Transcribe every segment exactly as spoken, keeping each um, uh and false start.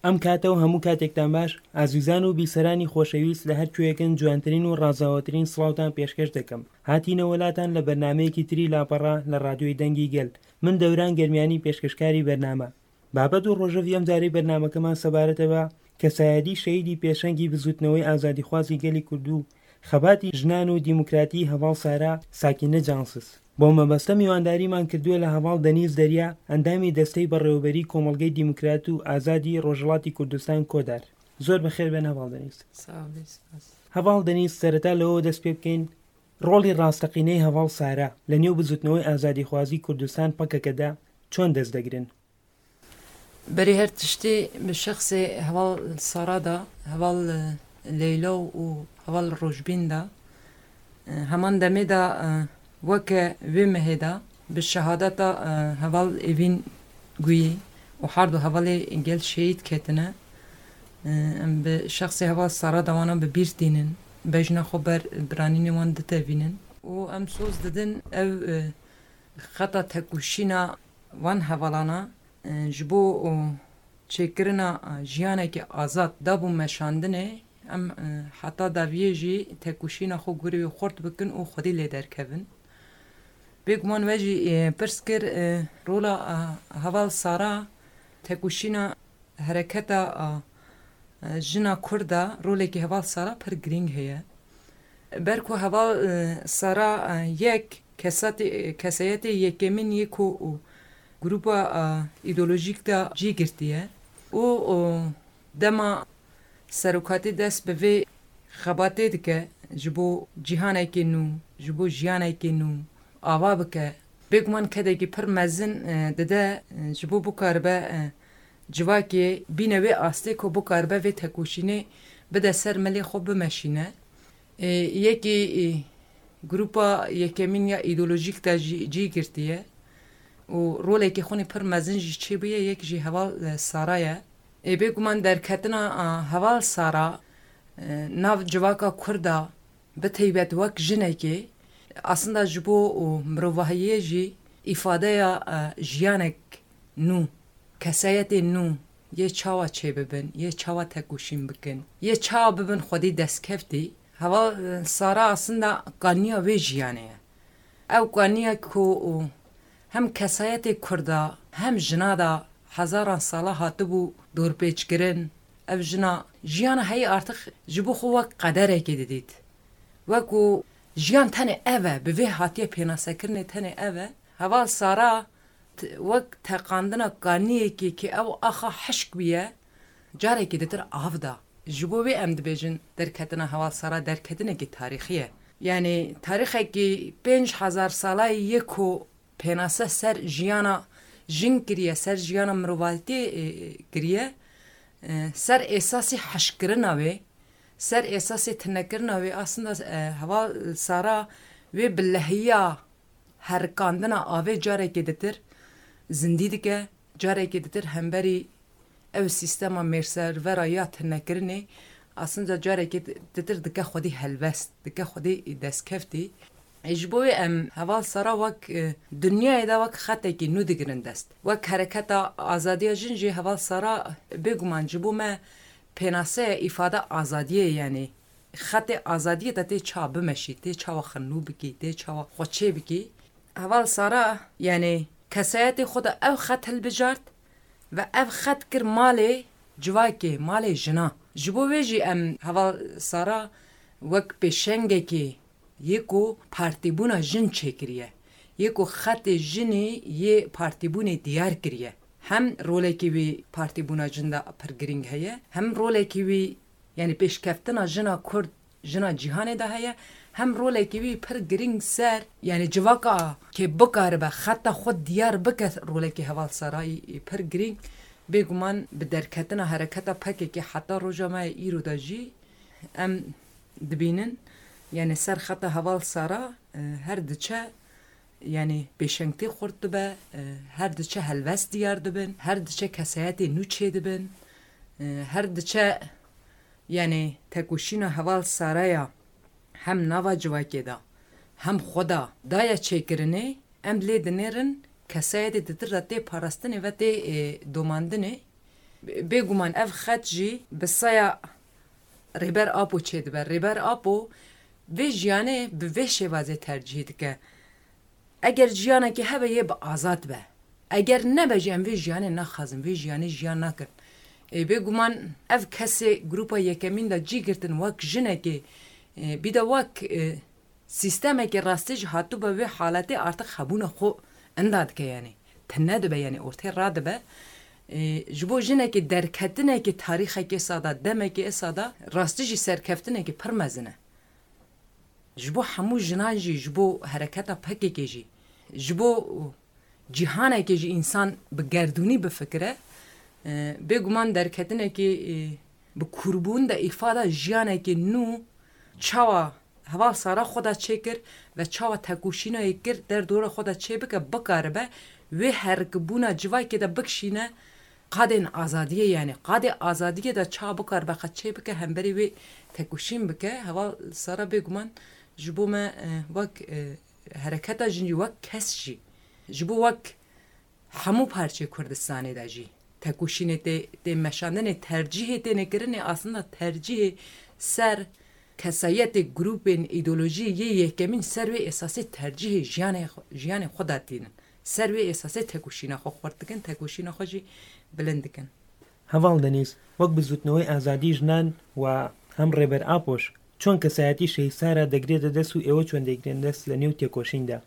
ئەم کاتە و هەموو کاتێکتان باش، ئازیزان و بیسەرانی خۆشەویست، لە هەر کوێیەکن جوانترین و ڕازاوەترین سڵاوتان پێشکەش دەکەم. هاتینە وەلاتان لە بەرنامەیەکی تری لاپەڕە لە ڕادیۆی دەنگی گەل. من دەوران گەرمیانی پێشکەشکاری بەرنامە. بابەت و ڕۆژەڤی ئەم جارەی بەرنامەکەمان سەبارەتە بە کەسایەتی شەهیدی پێشەنگی بزوتنەوەی ئازادیخوازی گەلی کوردو خەباتی ژنان و دیموکراتی هەڤاڵ سارا ساکینە جانسز. بۆ مەبەستە میوانداریمان کردووە لە هەڤاڵ دەنیز دەریا، ئەندامی دەستەی بەڕێوەبەری کۆمەڵگەی دیموکرات و ئازادی ڕۆژهەڵاتی کوردستان کۆدار. زۆر بەخێر بێن هەڤاڵ دەنیز. ساولی سپاس. هەڤاڵ دەنیز، سەرەتا لەوە دەست پێ بکەین، ڕۆڵی ڕاستەقینەی هەڤاڵ سارا لە نێو بزوتنەوەی ئازادیخوازی کوردستان پەکەکەدا چۆن دەست دەگرن؟ Berê her tiştî bi şexsê heval Sara de, heval, e, Leyla û heval Rojbîn de, e, heman demê de, e, weke wê mehê de bi şehadeta, e, heval Evîn Guyî û herdu hevalê gel şehîd ketine. E, em bi şexsê heval Sara de wana bi bîr tînin. Bejna xwe ber biranînê wan ditevînin. Û em soz didin ev, e, xeta tekoşîna van hevalana, e, ji bo, o, çêkirina, e, jiyanekî azad dabû meşandinê, em, e, heta daviyê jî tekoşîna xwe gorî wê xurt bikin û xwedî lê derkevin. Bêguman we jî, e, pirs kir, e, rola, e, heval Sara tekoşîna hereketa, a, e, jina Kurd de rolekî heval Sara pir girîng heye. Ber ku heval, e, Sara, e, yek kesatê-, kesayetê yekemîn yê ku û grupa, e, îdeolojîk de cî girtiye û, û dema serokatî dest bi vê xebatê dike ji bo cîhanekê nû, ji bo jiyanekê nû ava bike, bêguman kedekî pir mezin, e, dide, e, ji bo bikaribe, e, civakê bîne wê astê ku bikaribe vê tekoşînê bide ser milê xwe bimeşîne. E, yekî, e, grupa yekemîn ya îdeolojîk de jî cî girtiye û rolekê xwe nî pir mezin jî çêbûye, yek jî heval, e, Sara ye. Ê, bêguman derketina, a, heval Sara, e, nav civaka Kurda bi teybet wek jinekê, aslında ji bo û mirovahiyê jî îfadeya, e, jiyanek nû, kesayetê nû yê çawa çêbibin, yê çawa tekoşîn bikin, yê çawa bibin xwedî destkeftî. Heval, e, Sara aslında kaniya wê jiyanê ye. Ew kaniya ku û hem kesayetê Kurda, hem jina da hezaran sala hatibû dorpêçkirin. Ev jina jiyana heyî artık ji bo xwe wek qederekê didît. Wek ku jiyan tenê ev e, bi vê hatiye pênasekirinê tenê ev e. Heval Sara t-, wek teqandina kaniyekê ki ew axa hişk bûye, carekê ditir av da. Ji bo wê em dibêjin derketina heval Sara derketinekî tarîxî ye. Yanî tarîxekî pênc hezar salayî yê ku pênase ser jiyana jin kiriye, ser jiyana mirovatiyê, e, kiriye, e, ser êsasê hişkkirina wê, ser êsasê tinekirina wê, aslında, e, heval Sara wê bi lehiya herikandina avê carekê ditir zindî dike, carekê ditir hemberî ew sîstema mêrservera ya tinekirinê, aslında carekê ditir dike xwedî helbest, dike xwedî destkeftî. E, ji bo wê em heval Sara wek, e, dinyayê de wek xetekî nû digirin dest. Wek hereketa azadiya jin jî heval Sara bêguman ji bo me pênaseya îfade azadiyê, yanî xetê azadiyê de tê ça bimeşî, tê çawa xwe nû bikî, tê çawa xwe çê bikî. Heval Sara, yanî kesayetê xwe de ew xet hilbijart ve ev xet kir malê civakê, malê jina. Ji bo wê jî em heval Sara wek pêşengekê yê ku partîbûna jin çêkiriye, yê ku xetê jinê yê partîbûnê diyar kiriye. Hem rolekî wî partîbûna jin de pir girîng heye, hem rolekî wî, yanî pêşkeftina jina Kurd, jina cîhanê de heye, hem rolekî wî pir girîng ser, yanî civaka kê bikaribe xeta xwe diyar bike, rolekî heval Sarayî pir girîng. Bêguman bi derketina hereketa P K K heta roja me yê îro de jî em dibînin, yanî ser xeta heval Sara, e, her diçe, yanî pêşengtî xurt dibe, e, her diçe helbest diyar dibin, her diçe kesayetê nû çêdibin, e, her diçe, yanî tekoşîna heval Saraya hem nava civakê de, hem xwe de daye çêkirinê, em lê dinêrin kesayetê ditir de tê parastinê ve tê, e, domandinê. Bêguman ev xet jî bi saya Rêber Apo çêdibe. Rêber Apo vê jiyanê bi vê şêwazê tercîh dike. Eger jiyanekê hebe yê bi azad be. Eger nebe jî em vê jiyanê naxwazin, vê jiyanê jiyan nakin. Ê, bêguman ev kesê grupa yekemîn de cî girtin wek jinekê, ê, bî de wek, ê, sîstemekê rastî jî hatibûbe wê haletê artık hebûna xwe inda dike, yanî tune dibe, yanî ortê radibe. Ê, ji bo jinekê derketinekê tarîxekê sada, demekê esa da rastî jî serkeftinekê pir mezin e. Ji bo hemû jinan jî, ji bo hereketa P K K jî, ji bo cîhanekê jî însan bi gerdûnî bifikire, e, bêguman derketinekê, e, bi kûrbûn de îfada jiyanekê nû çawa heval Sara xwe de çêkir ve çawa tekoşîna yê kir derdora xwe de çêbike, bikaribe wê herikbûna civakê de bikişîne qadên azadiyê, yanî qadê azadiyê de çawa bikaribe xwe çêbike, hemberî wê tekoşîn bike. Heval Sara bêguman ji bo me, e, wek, e, hereketa jin jî, wek kes jî, ji bo wek hemû parçeyê Kurdistanê de jî tekoşînê tê, tê meşandinê, tercîhê têne kirinê, aslında tercîhê ser kesayetê, grûpên, îdeolojiyê yê yekemîn ser wê esasê tercîhê jiyanê xwe, jiyanê xwe de tînin. Ser wê esasê tekoşîna xwe xurt dikin, tekoşîna xwe jî bilind dikin. Heval Denîz, wek bizûtnewê azadî jinan û hem Rêber Apo, çond kesayetî Şehîd Sara degrête dest û êwe çond dêgrên dest li nêw têkoşîn de?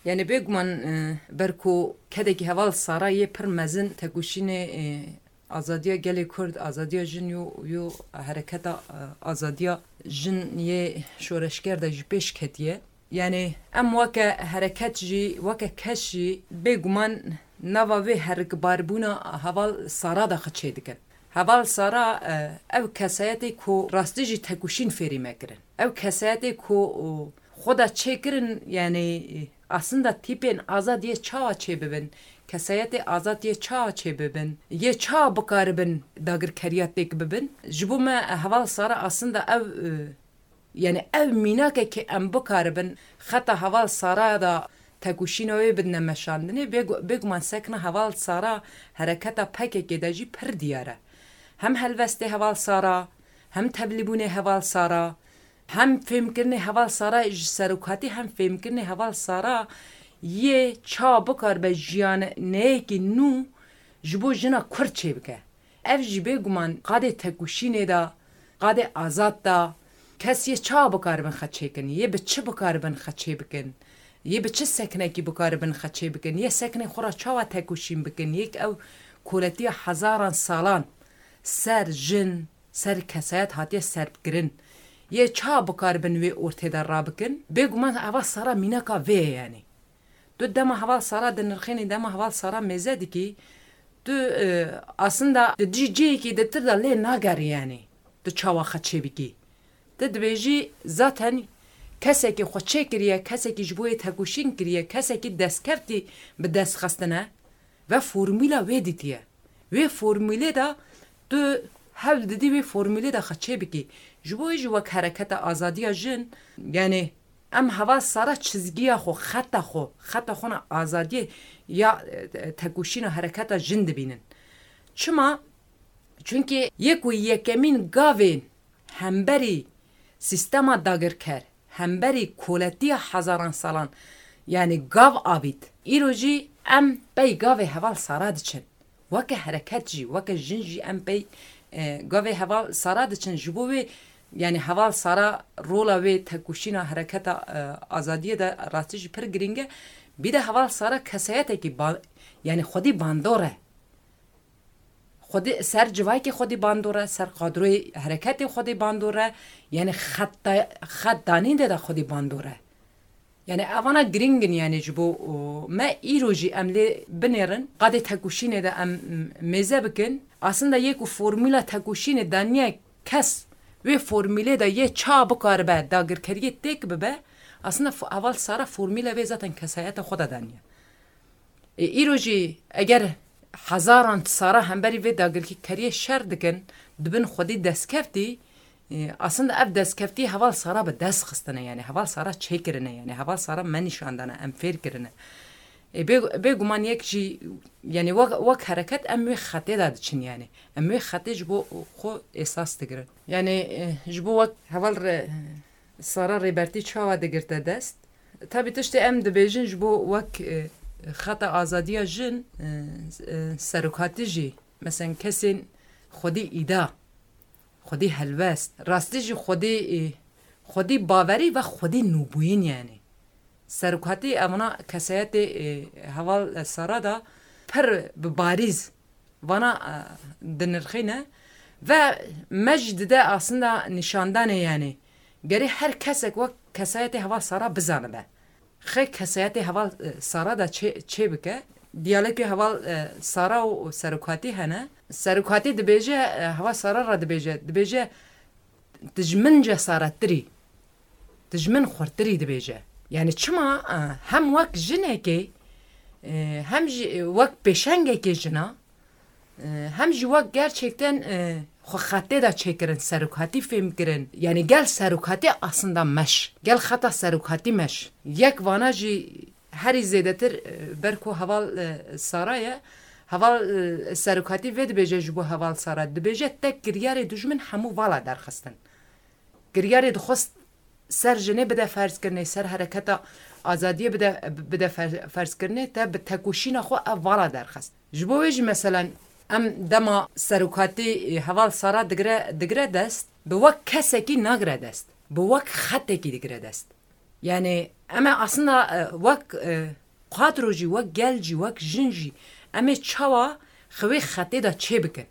Yanî bêguman, e, ber ku kedekî heval Sara yê pir mezin tekoşînê, e, azadiya gelê Kurd, azadiya jin yo, yo hereketa, e, azadiya jin yê şoreşger de jî pêş ketiye. Yanî em weke hereket jî, weke kes jî bêguman nava vê herikbarbûna heval Sara de xwe çêdikin. Heval Sara, e, ew kesayetê ku rastî jî tekoşîn fêrî me kirin. Ew kesayetê ku, o, xwe de çêkirin, yanî, e, aslında tîpên azad yê çawa çêbibin, kesayetê azad yê çawa çêbibin, yê çawa bikaribin dagirkeriya têk bibin. Ji bo me, e, heval Sara aslında ew, e, Yanî ev mînakekê em bikaribin xeta heval Sara da tekoşîna wê bidine meşandinê, bêgu-, bêguman sekna heval Sara hereketa P K K de jî pir diyar e. Hem helwestê heval Sara, hem tevlîbûnê heval Sara, hem fêmkirinê heval Sara ji serokatî, hem fêmkirinê heval Sara yê ça bikaribe jiyaneyekî nû ji bo jina Kurd çêbike. Ev jî bêguman qadê tekoşînê de, qadê azad de, kes yê çawa bikaribin xwe çêkin, yê bi çi bikaribin xwe çêbikin, yê bi çi seknekî bikaribin xwe çêbikin, yê seknê xwe re çawa tekoşîn bikin, yek ew koletiya hezaran salan ser jin, ser kesayet hatiye serbkirin, yê çawa bikaribin wê ortê de rabikin, bêguman eva sera mînaka vê ye, yanî. Tu dema heval Sara dinirxînî, dema heval Sara mêze dikî, tu, e, aslında di cî-, cihekî di tir de lê nagerî, yanî tu çawa xwe çêbikî. Tu dibêjî, zaten kesekî xwe çêkiriye, kesekî ji bo yê tekoşîn kiriye, kesekî destkeftî bi dest xistine ve formûla wê dîtiye. Wê formûlê de tu hewl didî wê formûlê de xwe çêbikî. Ji bo wê jî wek hereketa azadiya jin, yanî em heval Sara çizgiya xwe, xeta xwe, xeta xwe na azadiyê ya, e, tekoşîna hereketa jin dibînin. Çima? Çunkî yê ku yekemîn gavên hemberî sîstema dagirker, hemberî koletiya hezaran salan, yanî gav avît. Îro jî em pey gavê heval Sara diçin. Weke hereket jî, weke jin jî em pey, e, gavê heval Sara diçin. Ji bo wê, yanî heval Sara rola wê tekoşîna hereketa, e, azadiyê de rastî jî pir girîng e. Bî de heval Sara kesayetekî ba-, yanî xwedî bandor e. Xwedî ser civakê xwedî bandor e, ser kadroyê hereketê xwedî bandor e. Yanî xeta-, xet danîn de de xwedî bandor e. Yanî evana girîng in, yanî ji bo, o, me îro jî em lê binêrin, qadê tekoşînê de em, m-, mêze bikin. Aslında yê ku formûla tekoşînê daniye kes wê formûlê de yê ça bikaribe dagirkeriyê têk bibe, aslında fo-, heval Sara formûla vê zaten kesayeta xwe de daniye. Ê, îro jî eger hezaran Sara hemberî vê dagirkeriyê şer dikin, dibin xwedî destkeftî, ê, aslında ev destkeftî heval Sara bi dest xistine, yanî heval Sara çêkirine, yanî heval Sara me nîşan dane, em fêr kirine. E, bê, bêguman yek jî, yani wek, wek hereket em wê xetê de diçin yani. Em wê xetê ji bo xwe esas digirin. Yani, e, ji bo wek heval re, Sara Rêbertî çawa digirte dest? Tabî tiştê em dibêjin ji bo wek, e, xeta azadiya jin, e, e, serokatî jî, mesela kesên xwedî îda, xwedî helwest, rastî jî xwedî, e, xwedî bawerî ve xwedî nûbûyîn yani. Serokatî evana kesayetê, e, heval, e, Sara da pir bi barîz vana, e, dinirxîne ve me jî dide aslında nîşandanê yani. Gerê her kesek wek kesayetê heval Sara bizanibe. Xê kesayetê heval, e, Sara da çê, çê bike. Diyalekê heval, e, Sara û serokatî hene. Serokatî dibêje, e, heval Sara ra dibêje. Dibêje, dijmin cesarettirî, dijmin xurtirî dibêje. Yani çima, e, hem wek jinekê, e, hem jî, e, wek pêşengekê jina, e, hem jî wek gerçekten, e, xwe xetê de çêkirin, serokatî fêm kirin. Yani gel serokatî aslında meş. Gel xeta serokatî meş. Yek vana jî herî zêdetir, e, ber ku heval, e, Sara ye, heval, e, serokatî vê dibêje ji bo heval Sara. Dibêje te kiryarê dijmin hemû vala derxistin. Kiryarê dixwest ser jinê bide ferzkirinê, ser hereketa azadiyê bide, bide fer-, ferzkirinê, te bi tekoşîna xwe ev vala derxist. Ji bo wê jî meselen em dema serokatî, e, heval Sara digire, digire dest, bi wek kesekî nagire dest. Bi wek xetekî digire dest. Yani em ê aslında, e, wek, e, kadro jî, wek gel jî, wek jin jî em ê çawa xwe wê xetê de çê bikin?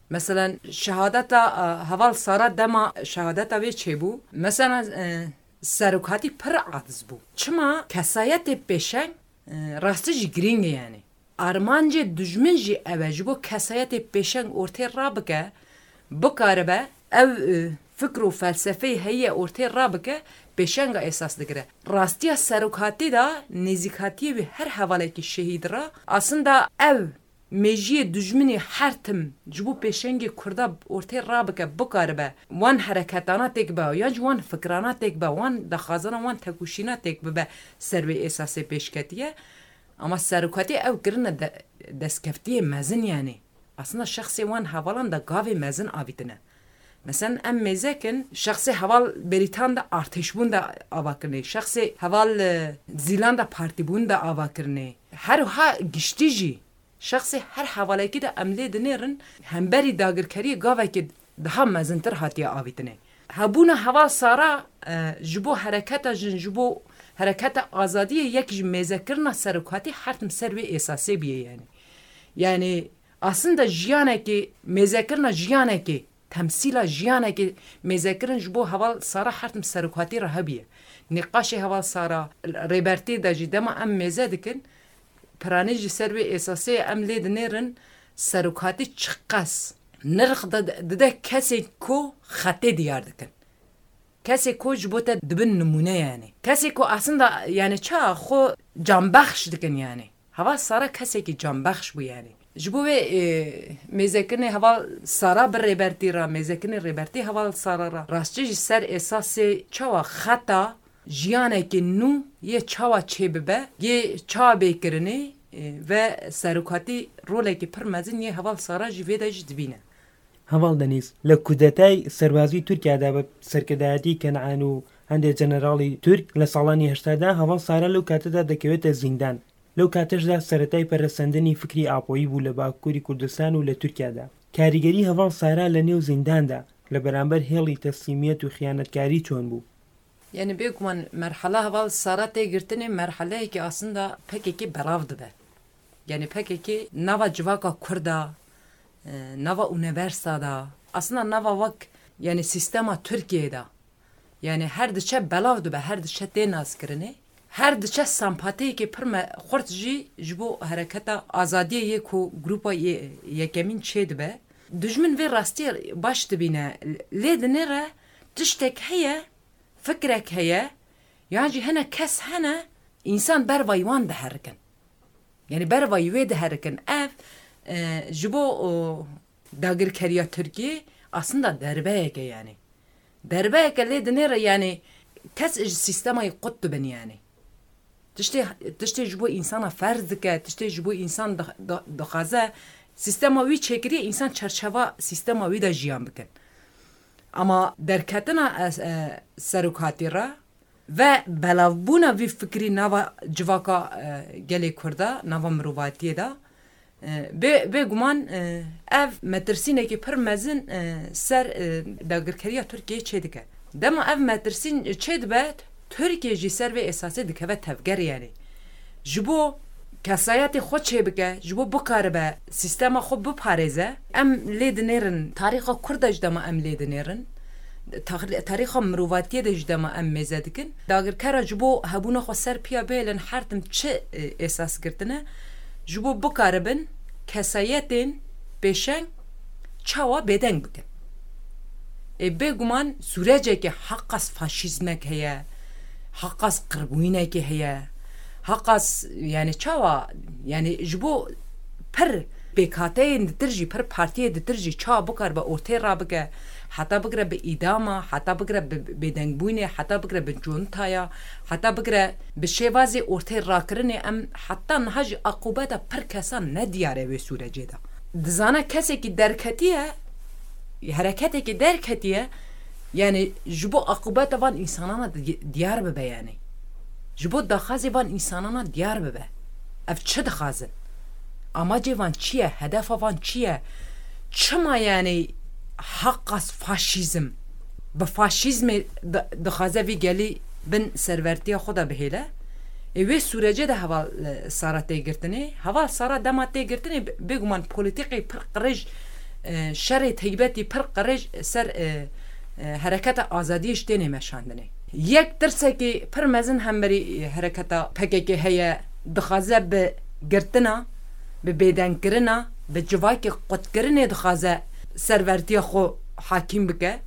Mesela şehadeta, e, heval Sara dema şehadeta wê çêbû. Mesela, e, serokatî pir aciz bû. Çima? Kesayetê pêşeng, e, rastî jî girîng e yani. Armancê dijmin jî ew e, ji bo kesayetê pêşeng ortê rabike, bikaribe ew, e, fikr û felsefeyê heye ortê rabike, pêşenga esas digire. Rastiya serokatî de nêzîkatiyê wî her hevalekî şehîd re, aslında ew mêjiyê dijminê her tim ji bo pêşengê Kurda ortê rabike, bikaribe wan hereketana têk be, yan jî wan fikrana têk be, wan daxwazana wan tekoşîna têk bibe ser wê esasê pêşketiye. Ama serokatî ew kirine de-, destkeftiyê mezin yani. Aslında şexsê wan hevalan de gavê mezin avîtine. Mesela em mêzekin, şexsê heval Berîtan de artêşbûn de ava kirinê, şexsê heval, e, Zîlan de partîbûn de ava kirinê. Her wiha giştî jî, şexsê her hevalekî de em lê dinêrin, hemberî dagirkeriyê gavekê daha mezintir hatiye avîtinê. Hebûna heval Sara, e, ji bo hereketa jin, ji bo hereketa azadiyê yek ji mêzekirina serokatî her tim ser wê esasê bûye yani. Yani aslında jiyanekê, mêzekirina jiyanekê, temsîla jiyanekê mêzekirin ji bo heval Sara her tim serokatî re hebûye. Nîqaşê heval Sara, Rêbertî de jî dema em mêze dikin, piranî jî ser wê esasê em lê dinêrin, serokatî çiqas nirx de, dide kesên ku xetê diyar dikin. Kesê ku ji bo te dibin nimûne yani. Kesê ku aslında yani ça xwe canbexş dikin yani. Heval Sara kesekî canbexş bû yani. Ji bo wê, e, mêzekirinê heval Sara bi Rêbertî re, mêzekirinê Rêbertî heval Sara re, rastçî ji ser esasê çawa xeta jiyanekê nû yê çawa çêbibe, yê çawa bê kirinê, e, ve serokatî rolekî pir mezin yê heval Sara jî vê de jî dibîne. Heval Denîz, li kudetayê serbazî Tirkiye de bi serkirdayetî Kenan û hindê jeneralî Tirk li salanî heştad de heval Sara lew kate de dikewite zîndan. Lew kate jî de seretayê peresendinî fikrî Apoyî bû li Bakurî Kurdistan û li Tirkiye de. Karîgerî heval Sara li nêw zîndan de li beramber hêlî teslîmiyet û xiyanetkarî çond bû? Yani bêguman merhala heval Sara tê girtinê merhaleyekî aslında P K K belav dibe. Yani P K K nava civaka Kurda, e, nava unîversa da, aslında nava wek, yani sîstema Tirkiyeyê da. Yani her diçe belav dibe, her diçe tê naskirinê. Her diçe sempatiyekê pir me-, xurt jî ji bo hereketa azadiyê yê ku grupa yê-, yekemîn çê dibe. Dijmin vê rastiyê baş dibîne. Lê dinêre tiştek heye, fikrek heye, yan jî hene kes hene, însan bervayî wan diherikin. Yani bervayî wê diherikin. Ev, e, ji bo, o, dagirkeriya Tirkiyê aslında derbeyek e yani. Derbeyek e lê dinêre yani kes ji sîstemayê qut dibin yani. Tiştê, tiştê ji bo însana ferz dike, tiştê ji bo însan di-, di-, dixwaze sîstema wî çêkiriye, însan çerçeva sîstema wî de jiyan bikin. Ama derketina, e, e, serokatî re ve belavbûna vî fikrî nava civaka, e, gelê Kurda, nava mirovatiyê de, e, bê-, bêguman, e, ev metirsînekî pir mezin, e, ser, e, dagirkeriya Tirkiyeyê çêdike. Dema ev metirsîn çêdibe, Tirkiye jî ser vê esasê dikeve tevgerê, yanî ji bo kesayetê xwe çêbike, ji bo bikaribe sîstema xwe biparêze, em lê dinêrin, tarîxa Kurda ji dema em lê dinêrin, tar-, tarîxa mirovatiyê de ji dema em mêze dikin. Dagirkera ji bo hebûna xwe ser piya bihêlin her tim çi, e, esas girtine, ji bo bikaribin kesayetên pêşeng çawa bêdeng bikin. Ê, bêguman sûrecekê heqas faşîzmek heye, heqas qirbûyînekê heye, heqas, yani çawa, yani ji bo pir pêkhateyên ditir jî, pir partiyê ditir jî çawa bikaribe ortê rabike, heta bigire bi îdama, heta bigire bi bêdengbûnê, heta bigire bi contaya, heta bigire bi şêvazê ortê rakirinê, em heta niha jî aqûbeta pir kesan nediyar e wê sûrecê de. Dizane kesekî derketiye, hereketekî derketiye, yani ji bo aqûbeta van însanana di-, diyar bibe yani. Ji bo daxwazê van însanana diyar bibe. Ev çi dixwazin? Amacê van çi ye? Hedefa van çi ye? Çima yani heqas faşîzm? Bi faşîzmê di-, dixwaze vî gelî bin servertiya xwe de bihêle. Ê, wê sûrecê de heval, e, Sara tê girtinê. Heval Sara dema tê girtinê, bê-, bêguman polîtîkê pir qirêj, e, şerê teybetî pir qirêj ser, e, e, hereketa azadiyê ji tênê meşandinê. Yek tirsekî pir mezin hemberî, e, hereketa P K K heye, dixwaze bi girtina, bi bêdengkirina, bi civakê qutkirinê dixwaze servertiya xwe hakîm bike.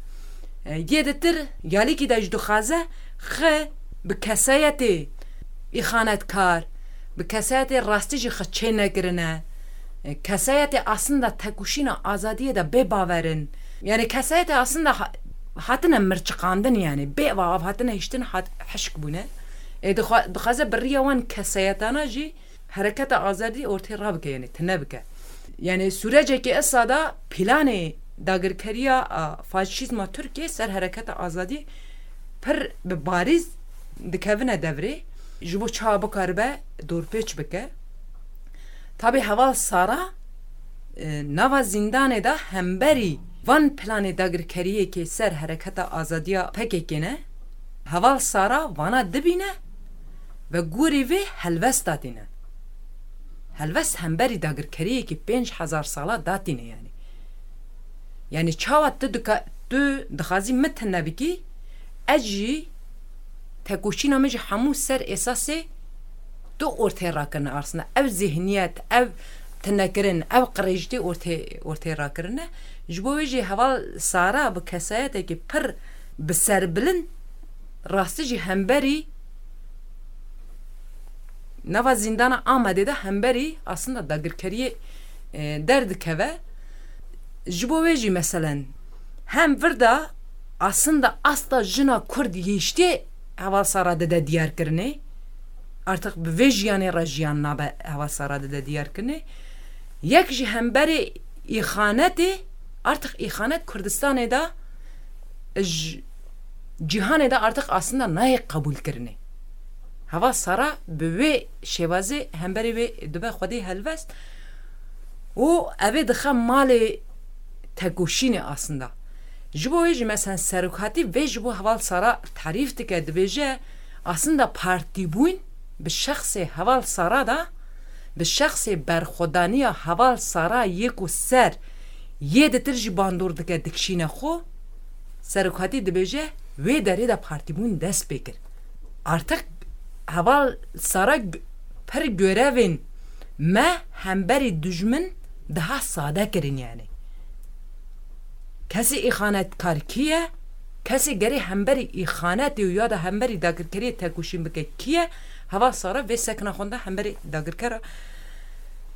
E, yê ditir, yalîkî de jî dixwaze xwe bi kesayetê îxanetkar, bi kesayetê rastî jî xwe çê nekirine, e, kesayetê aslında tekoşîna azadiyê de bê baver in. Yani kesayetê aslında ha-, hatine mirçiqandin, yani bê ava av hatine hiştin, hat-, hişk bûne. E, dixwa-, dixwaze bi riya wan kesayetana jî hereketa azadî ortê rabike, yani tune bike. Yani sûrecekê esa da planê dagirkeriya, a, faşîzma Tirkiyê ser hereketa azadî pir bi barîz dikevine devrê, ji bo çawa bikaribe dorpêç bike. Tabî heval Sara, e, nava zîndanê de hemberî van planê dagirkeriyê ke ser hereketa azadiya P K K ne, heval Sara vana dibîne ve gorî vê helwest datîne. Helwest hemberî dagirkeriyekî pênc hezar sala datîne yani. Yani çawa tu dika-, tu dixwazî min tune bikî, ez jî tekoşîna min jî hemû ser esasê tu ortê rakirine arsine. Ev zihniyet, ev tunekirin, ev qirêjtî ortê, ortê rakirine. Ji bo wê jî heval Sara bi kesayetekî pir bi serbilind rastî jî hemberî nava zîndana Amedê de hemberî aslında dagirkeriyê, e, derdikeve. Ji bo wê jî meselen hem vir de aslında asta jina Kurd yê îştê heval Sara dide diyarkirinê. Artık bi vê jiyanê re jiyan nabe heval Sara dide diyarkirinê. Yek jî hemberê îxanetê, artık îxanet Kurdistanê de ji cîhanê de artık aslında nayê qebûlkirinê. Heval Sara bi wê şêwazê hemberê wê dibe xwedê helwest û evê dixe malê tekoşînê aslında. Ji bo wê jî mesela serokatî vê ji bo heval Sara tarîf dike, dibêje aslında partîbûn bi şexsê heval Sara de, bi şexsê berxwedaniya heval Sara yê ku ser yê ditir jî bandor dike dikişîne xwe, serokatî dibêje, wê derê de partîbûn dest pê kir. Artık heval Sara g-, pir görevên me hemberî dijmin daha sade kirin yani. Kesê îxanetkar kî ye? Kesê gerê hemberî îxanetê û ya da hemberî dagirkeriyê tekoşîn bike kî ye? Heval Sara vê sekna xwe de hemberî dagirkera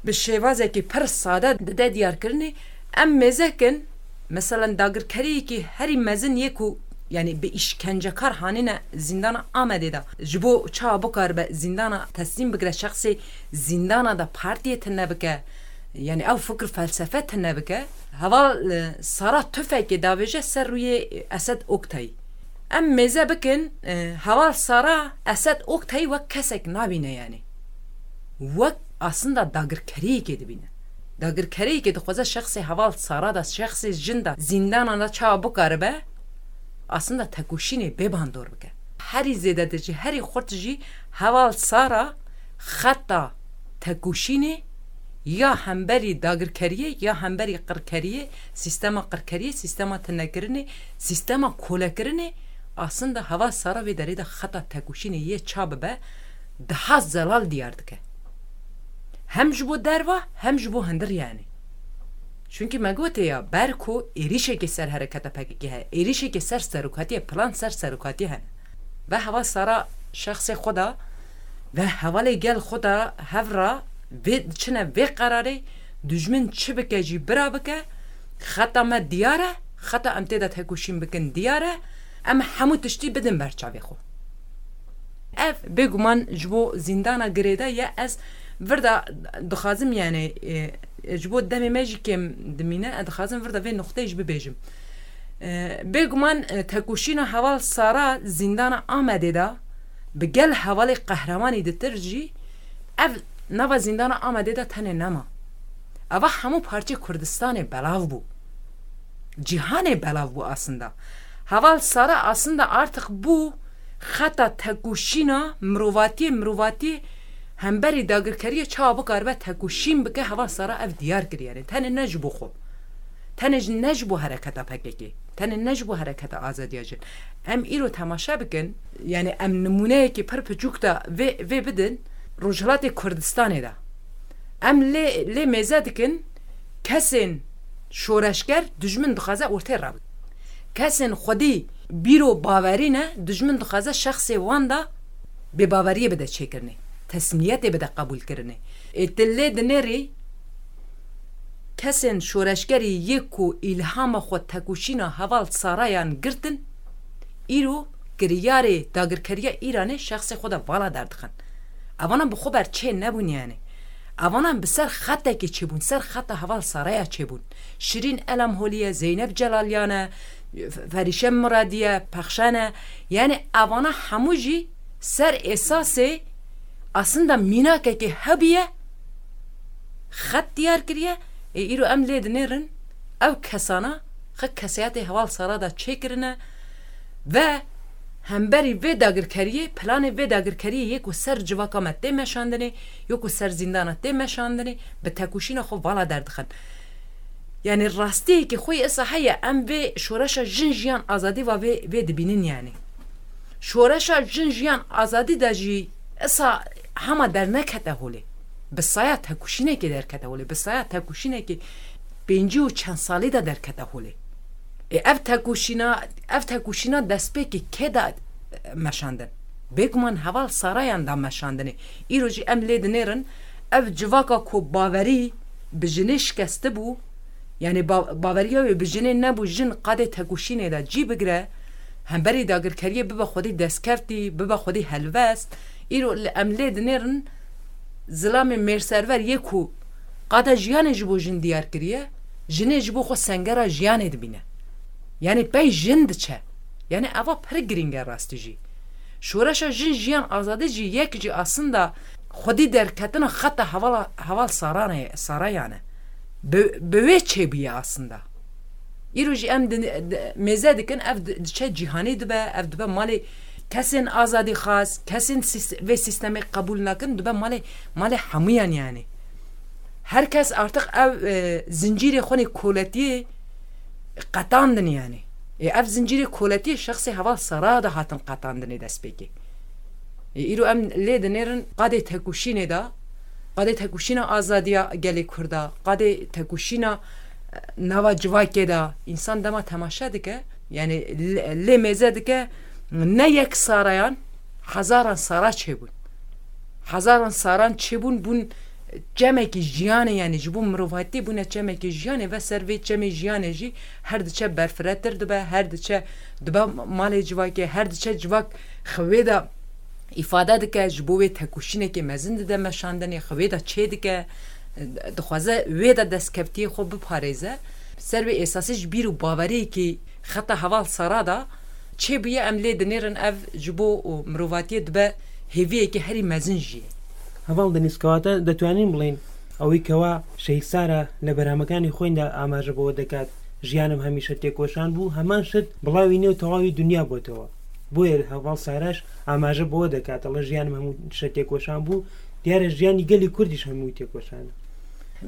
bi şêwazekî pir sade dide diyarkirinê. Em mêze kin, meselen dagirkeriyekî herî mezin yê ku Yani bi îşkencekar hanîne zîndana Amedê de. Ji bo çawa bikaribe zîndana teslîm bikire, şexsê zîndana de partiyê tune bike. Yani ew fikir felsefe tune bike. Heval, e, Sara tufekê davêje ser rûyê Esed Oktayî. Em mêze bikin, e, Heval Sara Esed Oktayî wek kesek nabîne yani. Wek aslında dagirkeriyekê dibîne. Dagirkeriyekê dixwaze şexsê Heval Sara de, şexsê jin de, zîndana de çawa bikaribe, aslında tekoşînê bê bandor bike. Herî zêde de jî, herî xurt jî Heval Sara xeta tekoşînê ya hemberî dagirkeriyê, ya hemberî qirkeriyê, sîstema qirkeriyê, sîstema tinekirinê, sîstema kolekirinê, aslında Heval Sara vê derê de xeta tekoşînê yê ça bibe, daha zelal diyar dike. Hem ji bo derva, hem ji bo hundir yani. Çunkî me gotê ya, ber ku êrîşekê ser hereketa P K K heye, êrîşekê ser serokatiyê, plan ser serokatiyê hene. Ve Heval Sara şexsê xwe de, ve hevalê gel xwe de hev re vê, diçine vê qerarê, dijmin çi bike jî bira bike, xeta me diyar e, xeta em tê de tekoşîn bikin diyar e, em hemû tiştî bidin ber çavê xwe. Ev bêguman ji bo zîndana girêde ye. Ez vir de dixwazim, yani, e, ji bo demê me jî kêm dimîne, ez dixwazim vir de vê nuqteyê jî bibêjim. E, bêguman, e, tekoşîna Heval Sara zîndana Amedê de bi gel hevalê qehremanî ditir jî ev nava zîndana Amedê de tenê nema. Eva hemû parçê Kurdistanê belav bû. Cîhanê belav bû aslında. Heval Sara aslında artık bû xeta tekoşîna mirovatiyê, mirovatiyê hemberî dagirkeriyê çawa bikaribe tekoşîn bike, Heval Sara ev diyar kiriye. Yani tenê ne ji bo xwe. Tenê ji, ne ji bo hereketa P K K. Tenê ne ji bo hereketa azadiya jin. Em îro temaşe bikin, yani em nimûneyekî pir piçûk de vê, vê bidin, Rojhilatê Kurdistanê de. Em lê, lê mêze dikin, kesên şoreşger dijmin dixwaze ortê re bin. Kesên xwedî bîro bawerî ne, dijmin dixwaze şexsê wan de bêbaweriyê bide çêkirinê, teslîmiyetê bide qebûlkirinê. Ê tu lê dinêrî kesên şoreşgerî yê ku îlhama xwe tekoşîna Heval Sarayan girtin, îro kiryarê dagirkeriya Îranê şexsê xwe de vala derdixin. Evana bi xwe ber çê nebûn yani. Evana bi ser xetekê çêbûn, ser xeta Heval Saraya çêbûn. Şirîn Elamholî ye, Zeynep Celalyan e, F-, Ferîşe Muradî ye, Pexşan e. Yani evana hemû jî ser esasê aslında mînakekê hebiye, xet diyar kiriye. Ê îro em lê dinêrin, ev kesana xwe kesayetê Heval Sara de çêkirine ve hemberî vê dagirkeriyê, planê vê dagirkeriyê yê ku ser civaka me tê meşandinê, yê ku ser zîndana tê meşandinê, bi tekoşîna xwe vala derdixin. Yani rastiyekî xwe yê esa heye, em vê şoreşa jin jiyan azadî va vê, vê dibînin yani. Şoreşa jin jiyan azadî de jî esa hema dernekete holê. Bi saya tekoşînekê derkete holê. Bi saya tekoşînekê pêncî û çend salî de derkete holê. Ê, ev tekoşîna, ev tekoşîna destpêkê kê da, e, meşandin? Bêguman Heval Sarayan da meşandinê. Îro jî em lê dinêrin, ev civaka ku bawerî bi jinê şikestibû, yani ba-, baweriya wê bi jinê nebû, jin qadê tekoşînê de cî bigire, hemberî dagirkeriyê bibe xwedî destkeftî, bibe xwedî helwest. Îro li, em lê dinêrin, zilamê mêrserver yê ku qada jiyanê ji bo jin diyar kiriye, jinê ji bo xwe sengera jiyanê dibîne. Yani pey jin diçe. Yani eva pir girîng e rastî jî. Şoreşa jin jiyan azadî jî yek jî aslında xwedî derketina xeta hevala, Heval Sarane, Sarayan e. Bi, bi wê çêbûye aslında. Îro jî em di, di, mêze dikin, ev di, diçe cîhanê dibe, ev dibe malê kesên azadîxwaz, kesên sîst-, vê sîstemê qebûl nakin, dibe malê, malê hemûyan yani. Her kes artık ev, e, zincîrê xwe nê koletiyê qetandin yani. Ê, ev zincîrê koletiyê şexsê Heval Sara de hatin qetandinê destpêkê. Ê, îro em lê dinêrin qadê tekoşînê de, qadê tekoşîna azadiya gelê Kurda, qadê tekoşîna, e, nava civakê de, însan dema temaşe dike, yani lê, lê mêze dike, ne yek Sarayan, hezaran Sara çêbûn. Hezaran Saran çêbûn, bûn, çemekî jiyanê, yanî ji bo mirovatiyê bûne çemekî jiyanê ve ser vê çemê jiyanê jî her diçe berfiretir dibe, her diçe dibe malê civakê, her diçe civak xwe wê de îfade dike, ji bo wê tekoşînekê mezin dide meşandinê, xwe wê de çê dike, dixwaze wê de destkeftiyê xwe biparêze. Ser vê esasê ji bîr û baweriyekî xeta heval Sara de çêbûye, em lê dinêrin ev ji bo mirovatiyê dibe hêviyekî herî mezin jî ye. Heval Deniz, kewate دەتوانین بڵێین ئەوەی کەوا شەهید سارا لە بەرهەمەکانی خۆیندا ئاماژە بەوە دەکات ژیانم هەمیشە تێکۆشان بوو، هەمان شت بڵاوی نێو تەواوی دنیا بۆتەوە. بۆیە هەواڵ ساراش ئاماژە بەوە دەکات، ئەڵێ ژیانم هەموو شە تێکۆشان بوو، دیارە ژیانی گەلی کوردیش هەمووی تێکۆشانە.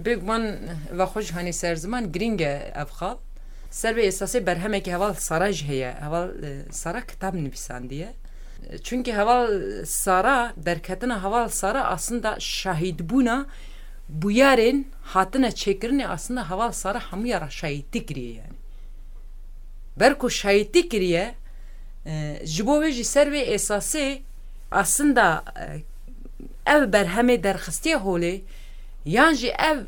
بێگومان، va xwe jî hanî ser ziman girîng e ev xal. Ser vê esasê berhemekî heval Sara jî heye. Heval, e, Sara kitab nivîsandiye. Çunkî heval Sara, derketina heval Sara aslında şahîdbûna bûyerên hatine çêkirinê aslında heval Sara hemûya re şahîdî kiriye yani. Ber ku şahîdî kiriye, e, ji bo wê jî ser vê esasê aslında, e, ev berhemê derxistiye holê, yan jî ev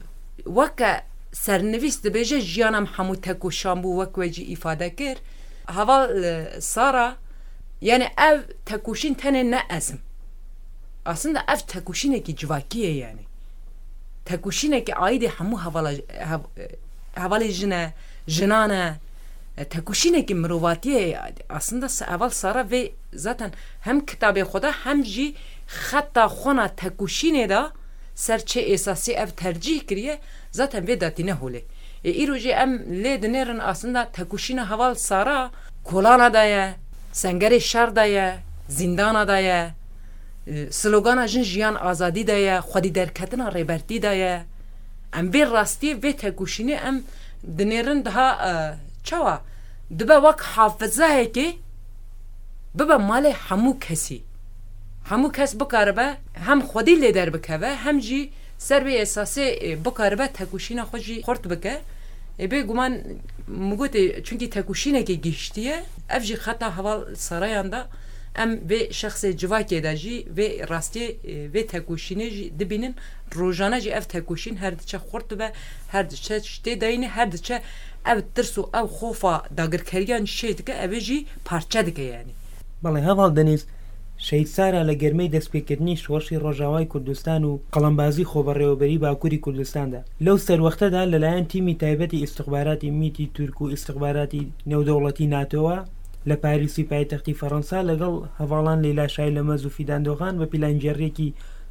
weke sernivîs dibêje, jiyana min hemû tekoşan bû, wek we jî îfade kir. Heval, e, Sara, yani ev tekoşîn tenê ne ez im. Aslında ev tekoşînekî civakî ye yani. Tekoşînekî aîdê hemû hevala, hev-, hevalê jin e, jinan e. E, tekoşînekî mirovatiyê ye. Aslında se-, heval Sara vê zaten hem kitabê xwe de hem jî xeta xwe na tekoşînê de ser çê esasî ev tercîh kiriye, zaten vê datîne holê. Ê, îro jî em lê dinêrin aslında tekoşîna heval Sara kolana de ye, sengerê şer de ye, zîndana de ye, e, slogana jin jiyan azadî de ye, xwedî derketina rêbertî de ye. Em vê rastiyê, vê tekoşînê em dinêrin daha, e, çawa? Dibe wek hafizayekê bibe malê hemû kesî. Hemû kes bikaribe hem xwedî lê derbikeve, hem jî ser vê esasê, e, bikaribe tekoşîna xwe jî xurt bike. E, bêguman min gotê, çunkî tekoşînekê gihiştiye, ev jî xeta heval Sarayan de em vê şexsê civakê de jî vê rastiyê, e, vê tekoşînê jî dibînin. Rojane jî ev tekoşîn her diçe xurt dibe, her diçe tê dayînê, her diçe ev tirs û ev xofa dagirkeriyan çê dike, ev ê jî parçe dike yani. بەڵێ، هەڤاڵ دەنیز، شەهید سارا لە گەرمەی دەستپێکردنی شۆڕشی ڕۆژاوای کوردستان و قەڵەمبازی خۆبەڕێوەبەری باکووری کوردستاندا، لەو سەروەختەدا لەلایەن تیمی تایبەتی ئیستخباراتی میتی تورک و ئیستخباراتی نێودەوڵەتی ناتۆوە لە پاریسی پایتەختی فەڕەنسا لەگەڵ هەڤاڵان لەیلا شایلەمەز و فیدان دۆغان بە پیلانگێڕیەکی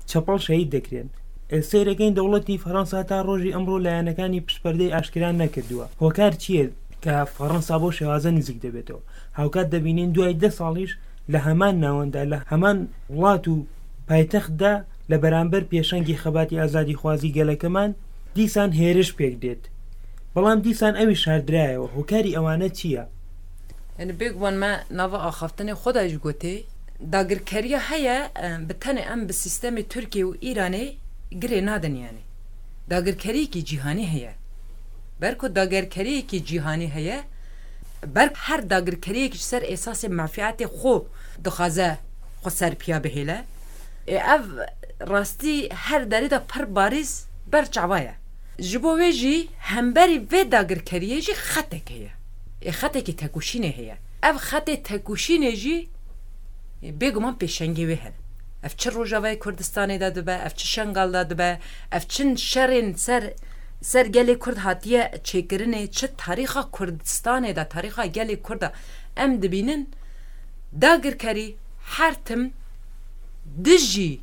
چەپەڵ شەهید دەکرێن. ئێ، سەیرەکەین دەوڵەتی فەڕەنسا تا ڕۆژی ئەمڕۆ لایەنەکانی پشتپەردەی ئاشکرا نەکردووە. هۆکار چییە کە فەڕەنسا بۆ شێوازە نزیک دەبێتەوە؟ هاوکات دەبینین دوای دە ساڵیش لە هەمان ناوەنددا، لە هەمان وڵات و پایتەختدا لە بەرامبەر پێشەنگی خەباتی ئازادیخوازی گەلەکەمان دیسان هێرش پێک دێت. بەڵام دیسان ئەویش شاردرایەوە. هۆکاری ئەوانە چییە؟ یعنی بێگومان me nava axaftinê xwe de jî gotê, dagirkeriya heye, e, bi tenê em bi sîstemê Tirkiye û Îranê girê nadin yani. Dagirkeriyekî cîhanî heye. Ber ku dagirkeriyekî cîhanî heye, ber her dagirkeriyekî ji ser esasê menfîetê xwe dixwaze xwe ser piya bihêle. Ê, ev rastî her derê de pir barîz ber çava ye. Ji bo wê jî hemberî vê dagirkeriyê jî xetek heye. Ê, xetekî tekoşînê heye. Ev xetê tekoşînê jî, ê, bêguman pêşengê wê hene. Ev çi Rojavayê Kurdistanê de dibe, ev çi Şengal de dibe, ev çi şerên ser, ser gelê Kurd hatiye çêkirinê, çi tarîxa Kurdistanê de, tarîxa gelê Kurd de em dibînin, dagirkerî her tim dijî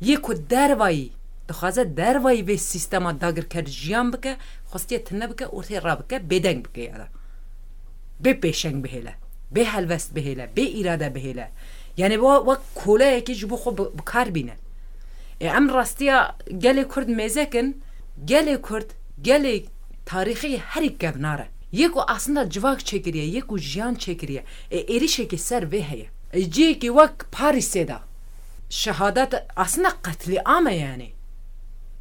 yê ku dervayî, dixwaze dervayî vê sîstema dagirker jiyan bike, xwestiye tune bike, ortê rabike, bêdeng bike ya da. Bê pêşeng bihêle, bê helwest bihêle, bê îrade bihêle. Yani wa-, wek koleyekî ji bo xwe bi, bi kar bîne. Ê, em rastiya gelê Kurd mêze kin, gelê Kurd, gelê tarîxî herî kevnar e. Yê ku aslında civak çêkiriye, yê ku jiyan çêkiriye. Ê, êrişekî ser vê heye. Ê, cihekî wek Parîsê de şehadet aslında qetlîam e yani.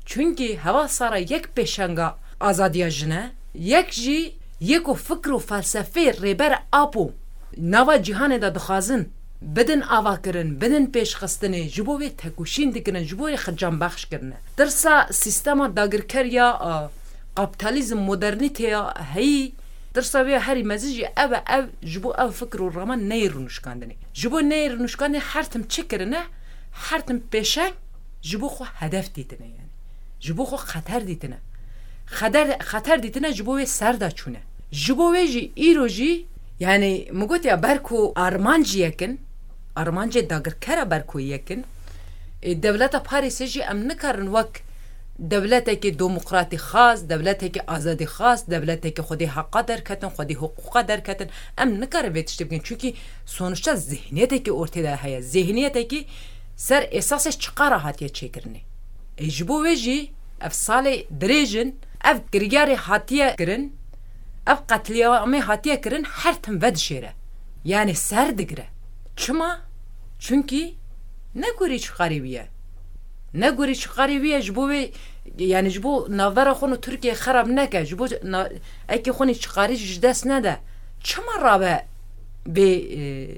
Çunkî heval Sara yek pêşenga azadiya jin e, yek jî yê ku fikr û felsefeyê Rêber Apo nava cîhanê de dixwazin bidin avakirin, bidin pêşxistinê, ji bo wê tekoşîn dikirin, ji bo wê xicanbexş kirine. Tirsa sîstema dagirker ya, a, kapitalizm, modernîte ya heyî, tirsa wê ya herî mezin jî ev e, ev ji bo ev fikir û raman neyê rûnişkandinê. Ji bo neyê rûnişkandinê her tim çi kirine, her tim pêşeng ji bo xwe hedef dîtine yani. Ji bo xwe xeter dîtine. Xeder, xeter dîtine ji bo wê ser de çûne. Ji bo wê jî îro jî, yani min gotiya ber ku armancî yekin, armancê dagirkera ber ku yekin, e, dewleta Parîsê jî em nikarin wek dewletekî demokratî xas, dewletekî azadî xas, dewletekî xwedî heqa derketin, xwedî hiqûqa derketin. Em nikarin vê tiştê bikin. Çunkî sonuçta zihniyetekî ortê de heye. Zihniyetekî ser esasê çiqa re hatiye çêkirinê. Ê ji bo wê jî ev salê dirêj in, ev kiryarê hatiye kirin, ev qetlîamê hatiye kirin, her tim vedişêre. Yani ser digire. Çima? Çunkî ne gorî çiqarî wî ye. Ne gorî çiqarî wî ye, ji bo wê, yani ji bo navbera xwe û Tirkiye xerab neke, ji bo na-, ekê xwe nî çiqarî ji dest nede. Çima rabe bê, e,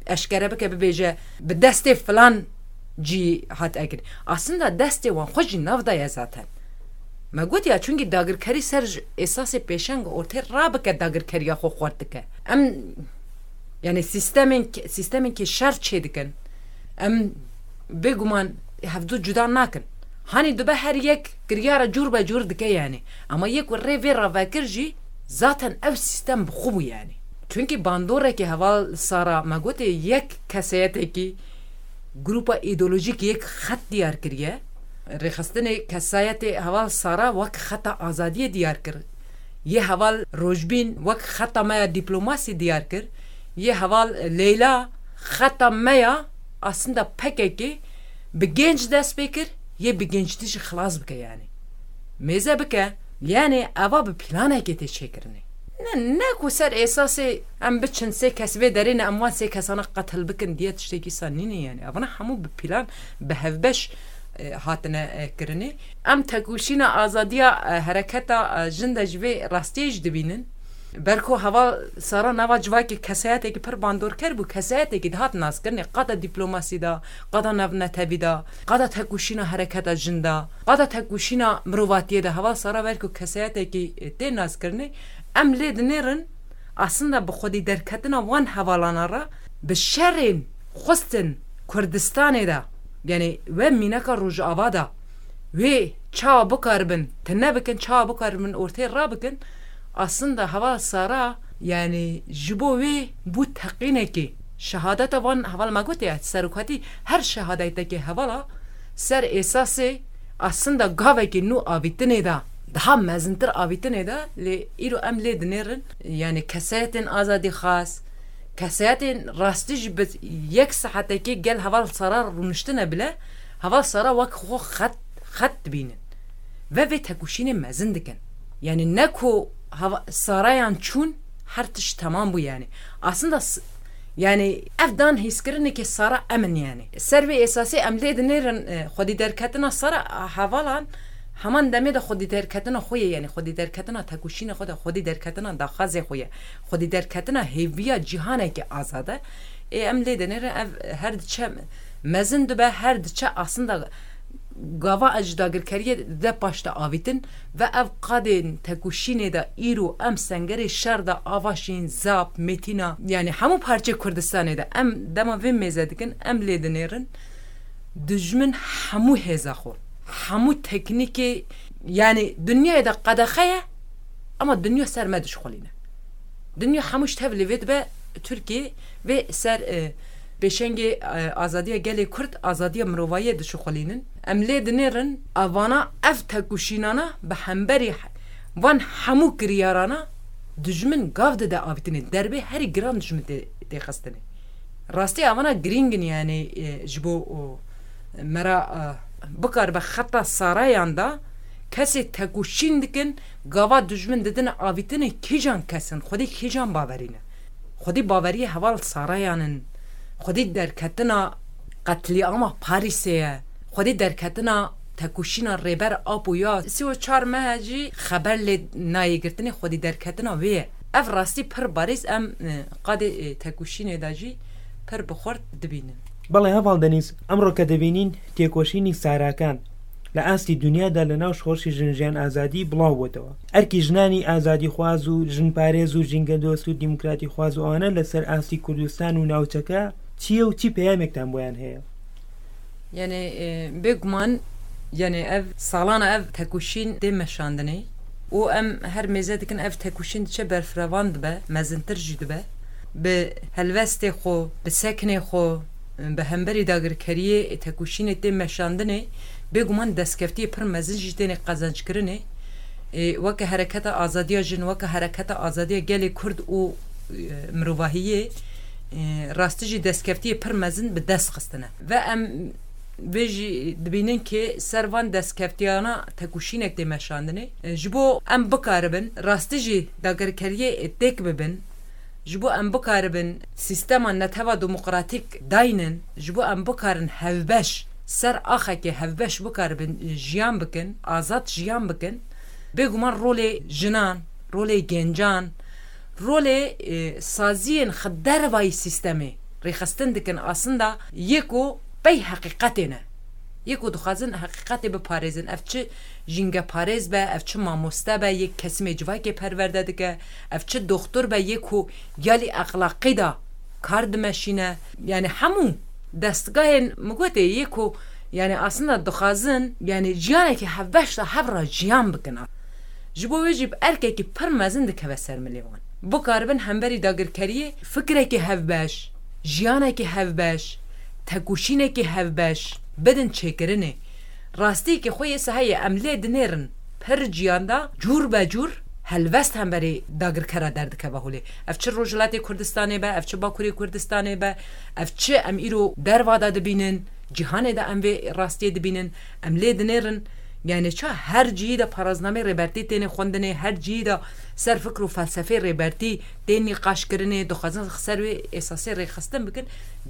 eşkere bike, bibêje, bi destê filan cî hat ekirin. Aslında destê wan xwe jî nav daye zaten. Me got ya, çunkî dagirkerî ser ji esasê pêşeng ortê rabike, dagirkeriya xwe xurt dike. Em, yani sîstemên, sîstemên ke şer çê dikin. Em bêguman hevdu cuda nakin. Hanî dibe her yek kiryara cûr be cûr dike yani. Ama yek ku rê vê ravekir jî zaten ev sîstem bi xwe bû yani. Çunkî bandoreke heval Sara me gotê yek keseyetekî, grupa îdeolojîk yek xet diyar kiriye. Rêxistinê kesayetê heval Sara wek xeta azadiyê diyar kir. Yê heval Rojbîn wek xeta me ya dîplomasî diyar kir. Yê heval Leyla xeta me ya aslında P K K bi genç dest pê kir, yê bi gençtî jî xilas bike yani. Mêze bike, yani eva bi planekê tê çêkirinê. Ne, ne ku ser esasê em biçin sê kes vê derê ne, em wan sê kesana qetil bikin diye tiştekî sa nîne yani. Evana hemû bi plan, bi hevbeş, e, hatine, e, kirinê. Em tekoşîna azadiya, e, hereketa, e, jin de ji vê rastiyê jî dibînin. Ber ku heval Sara nava civakê kesayetekî pir bandorker bû, kesayetekî dihat naskirinê, qada dîplomasî de, qada navnetewî de, qada tekoşîna hereketa jin de, qada tekoşîna mirovatiyê de. Heval Sara ber ku kesayetekî, e, tê naskirinê, em lê dinêrin, aslında bi xwedî derketina wan hevalana re bi şerên xwestin Kurdistanê de, yani we mînaka Rojava de, wê çawa bikaribin, tune bikin, çawa bikaribin ortê rabikin, aslında heval Sara, yani ji bo wê bû teqînekê. Şehadeta van heval me gotiye, serokatî her şehadetekê hevala ser esasê aslında gavekê nû avîtinê de, daha mezintir avîtinê de, lê îro em lê dinêrin, yani kesayetên azadî xas, kesayetên rastî jî bi yek saetekê gel heval Sara rûniştine bile, heval Sara wek xwe xet, xet dibînin. Ve vê tekoşînê mezin dikin. Yani ne ku heva-, Sarayan çûn, her tişt temam bû yani. Aslında s-, yani ev dan hîskirinê ke Sara em in yani. Ser vê esasê em lê dinêrin, e, xwedî derketina Sara, a, hevalan heman demê de xwedî derketina xwe ye yani. Xwedî derketina tekoşîna xwe de, xwedî derketina daxwazê xwe ye. Xwedî derketina hêviya cîhaneke azad e. Ê, em lê dinêrin ev her diçe mezin dibe, her diçe aslında gava ji dagirkeriyê de paş de avîtin ve ev qadên tekoşînê de îro em sengerê şer de avaşîn, Zap, Metîna, yani hemû parçeyê Kurdistanê de em dema vê mêze dikin, em lê dinêrin. Dijmin hemû hêza xwe, hemû teknîkê, yani dinyayê de qedexe ye, ama dinya ser me dişixulîne. Dinya hemû ji tev lê vê dibe Tirkiye vê ser, e, pêşengê, e, azadiya gelê Kurd, azadiya mirovayê dişixulînin. Em lê dinêrin, evana ev tekoşînana bi hemberî van hemû kiryarana dijmin gav dide avîtinê. Derbê herî giran dijmin tê, tê xistinê. Rastî evana girîng in, yani, e, ji bo o mera, e, bikaribe xeta Sarayan da kesê tekoşîn dikin, gava dijmin didin avîtinê kîjan kes in, xwedî kîjan bawerî ne. Xwedî baweriyê heval Sarayan in, xwedî derketina qetlîama Parîsê ye, xwedî derketina tekoşîna Rêber Apo ya sî û çar mehe jî xeber lê nayê girtinê, xwedî derketina wê ye. Ev rastî pir barîz em, e, qadê, e, tekoşînê de jî پڕ بە خۆرد دبینن. بەڵێ، هەڤاڵ دەنیز، ئەمڕۆ کە دەبینین تێکۆشینی ساراکان لە ئاستی دنیادا لە ناو شۆڕشی ژن ژیان ئازادی بڵاو بۆتەوە. ئەرکی ژنانی ئازادیخواز و ژنپارێز و ژینگەدۆست و دیموکراتیخواز و ئەوانە لەسەر ئاستی کوردستان و ناوچەکە چییە و چی پەیامێکتان بۆیان هەیە؟ یعنی، ئێ، بێگومان، یعنی، ئەڤ ساڵانە ئەڤ تەکوشین دێ مەشاندنێ و ئەم هەر مێزە دکن ئەڤ تەکوشین دچە بەرفرەوان دبە، مەزنتر ژی دبە. بە هەلوەستێ خۆ، بە سەکنێ خۆ، بە هەمبەری داگرکەریێ تەکوشینێ تێ مەشاندنێ، بێگومان دەستکەفتیێ پڕ مەزن ژی تێنێ قەزەنجکردنێ. ئێ، وەکە هەرەکەتە ئازادیە ژن، وەکە هەرەکەتە ئازادیە گەلێ کورد و، ئێ، مرۆڤاهیێ، ئێ، ڕاستی ژی دەستکەفتیێ پڕ مەزن بە دەست خستنە. و ئەم وێ ژی دبینن کە سەر van دەستکەفتیانە تەکوشینێک دێ مەشاندنێ. ئێ، ji bo em bikaribin ڕاستی ژی داگرکەریێ تێک ببن، ji bo em bikaribin sîstema netewa demokratîk daynin, ji bo em bikarin hevbeş, ser axekê hevbeş bikaribin jiyan bikin, azad jiyan bikin, bêguman rolê jinan, rolê gencan, rolê, e, saziyên xwe dervayî sîstemê rêxistin dikin, aslında yê ku pey heqîqetê ne. Yê ku dixwazin heqîqetê biparêzin. Ev çi jîngeparêz be, ev çi mamoste be, yê kesimê civakê perwerde dike, ev çi doxtur be, yê ku yalî exlaqî de kar dimeşîne. Yani hemû destgahên min gotê yê ku, yani aslında dixwazin, yani jiyanekî hevbeş de hev re jiyan bikin. Ji bo wê jî bi erkekî pir mezin dikeve ser milê wan. Bikaribin hemberî dagirkeriyê fikrekî hevbeş, jiyanekî hevbeş, tekûşînekî hevbeş bidin çêkirinê. Rastiyekî xwe yê se heye, em lê dinêrin pir ciyan de cûr be cûr helwest hemberî dagirkera derdikeve holê. Ev çi Rojhilatê Kurdistanê be, ev çi Bakurê Kurdistanê be, ev çi em îro derva de dibînin, cîhanê de em vê rastiyê dibînin, em lê dinêrin. Yani ça her cihî de paraznamê Rêbertî têne xwendinê, her cihî de ser fikr û felsefê Rêbertî tê nîqaşkirinê, dixwazin ser wê esasê rêxistin bikin.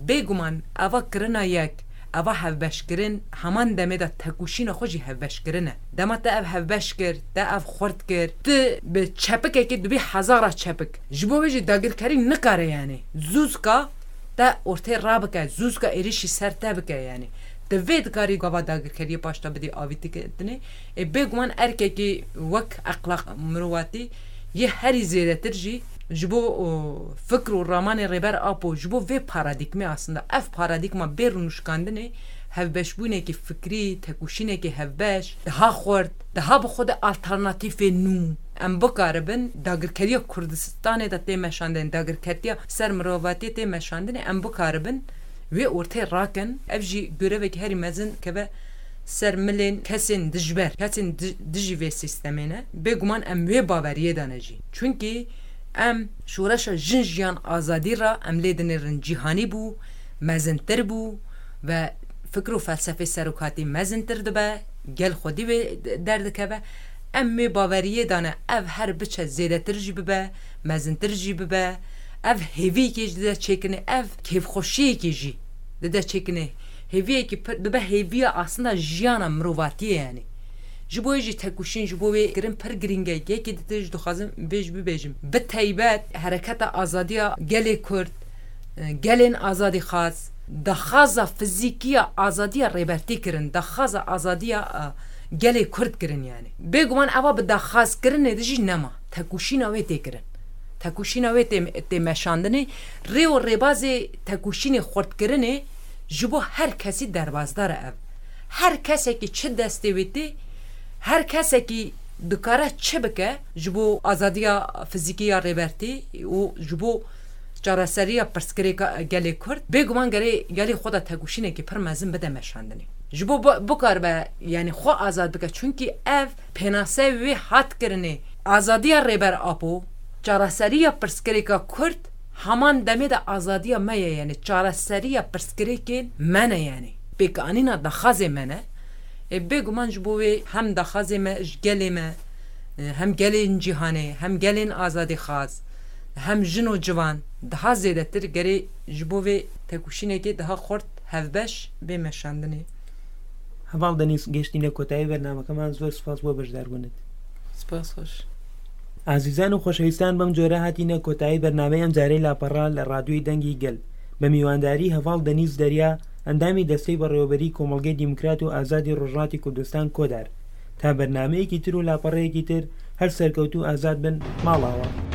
Bêguman eva kirina yek, eva hevbeşkirin, heman demê de tekûşîna xwe jî hevbeşkirin e. Dema te ev hevbeş kir, te ev xurt kir, tu bi çepikekê dibî hezara çepik. Ji bo wê jî dagirkerî nikare yani zûzka te ortê rabike, zûzka êrişî ser te bike yani. Te vê dikarî gava dagirkeriyê paşta bidî avîtikirinê. Ê, bêguman erkekî wek exlaq mirovatî yê herî zêdetir jî ji bo, o, fikr û ramanê Rêber Apo, ji bo vê paradîgmê aslında, ev paradîgma bê rûnişkandinê, hevbeşbûnekî fikrî, tekûşînekî hevbeş, daha xurt, daha bi xwe de alternatîfê nû. Em bikaribin dagirkeriya Kurdistanê de tê meşandin, dagirkeriya ser mirovatiyê tê meşandinê, em bikaribin wê ortê rakin. Ev jî görevekî herî mezin keve ser milên kesên dijber, kesên di-, dijî vê sîstemê ne. Bêguman em wê baweriyê de ne jî. Çunkî em şoreşa jin jiyan azadî re em lê dinêrin cîhanî bû, mezintir bû ve fikr û felsefê serokatî mezintir dibe, gel xwedî wê de-, derdikeve. Em wê baweriyê de ne, ev her biçe zêdetir jî bibe, mezintir jî bibe, ev hêviyekê jî dide çêkirinê, ev kêfxweşiyekê jî dide çêkirinê. Hêviyekî pir, dibe hêviya aslında jiyana mirovatiyê yani. Ji bo wê jî tekûşîn, ji bo wê kirin pir girîng e. Yekî dide jî dixwazim vê jî bibêjim. Bi teybet hereketa azadiya gelê Kurd, e, gelên azadîxwaz, daxwaza fizîkiya azadiya Rêbertî kirin, daxwaza azadiya, e, gelê Kurd kirin yani. Bêguman eva bi daxwazkirinê de jî nema. Tekûşîna wê tê kirin. Tekûşîna wê tê, tê meşandinê. Rê û rêbazê tekûşînê xurtkirinê ji bo her kesî derbasdar e ev. Her kesekî çi destê wê tê, her kesekî dikare çi bike ji bo azadiya fizîkî ya Rêbertî û ji bo çareseriya pirsgirêka gelê Kurd, bêguman gerê gelê xwe de tekûşînekî pir mezin bide meşandinê. Ji bo bi-, bikaribe, yani xwe azad bike. Çunkî ev pênase wê hat kirinê. Azadiya Rêber Apo, çareseriya pirsgirêka Kurd, heman demê de azadiya me ye, yani çareseriya pirsgirêkên me ne yani. Pêkanîna daxwazê me ne. Ê, bêguman ji bo wê hem daxwazê me ji gelê me, e, hem gelên cîhanê, hem gelên azadîxwaz, hem jin û ciwan daha zêdetir gerê ji bo vê tekûşînekê daha xurt hevbeş bê meşandinê. Heval Denîz, gêştîne kotayî bernamekê me, zor spas bo beşdarbûnê te. Spas xweş. Azîzan û xweşewîstan, bem cure hatîne kotayî bernameyê em carê lapera li Radyoyê Dengê Gel. بە میوانداری هەڤاڵ دەنیز دەریا، ئەندامی دەستەی بەڕێوەبەری کۆمەڵگەی دیموکرات و ئازادی ڕۆژهەڵاتی کوردستان کۆدار، تا بەرنامەیەکی تر و لاپەڕەیەکی تر هەر سەرکەوتوو و ئازاد بن ماڵاوە.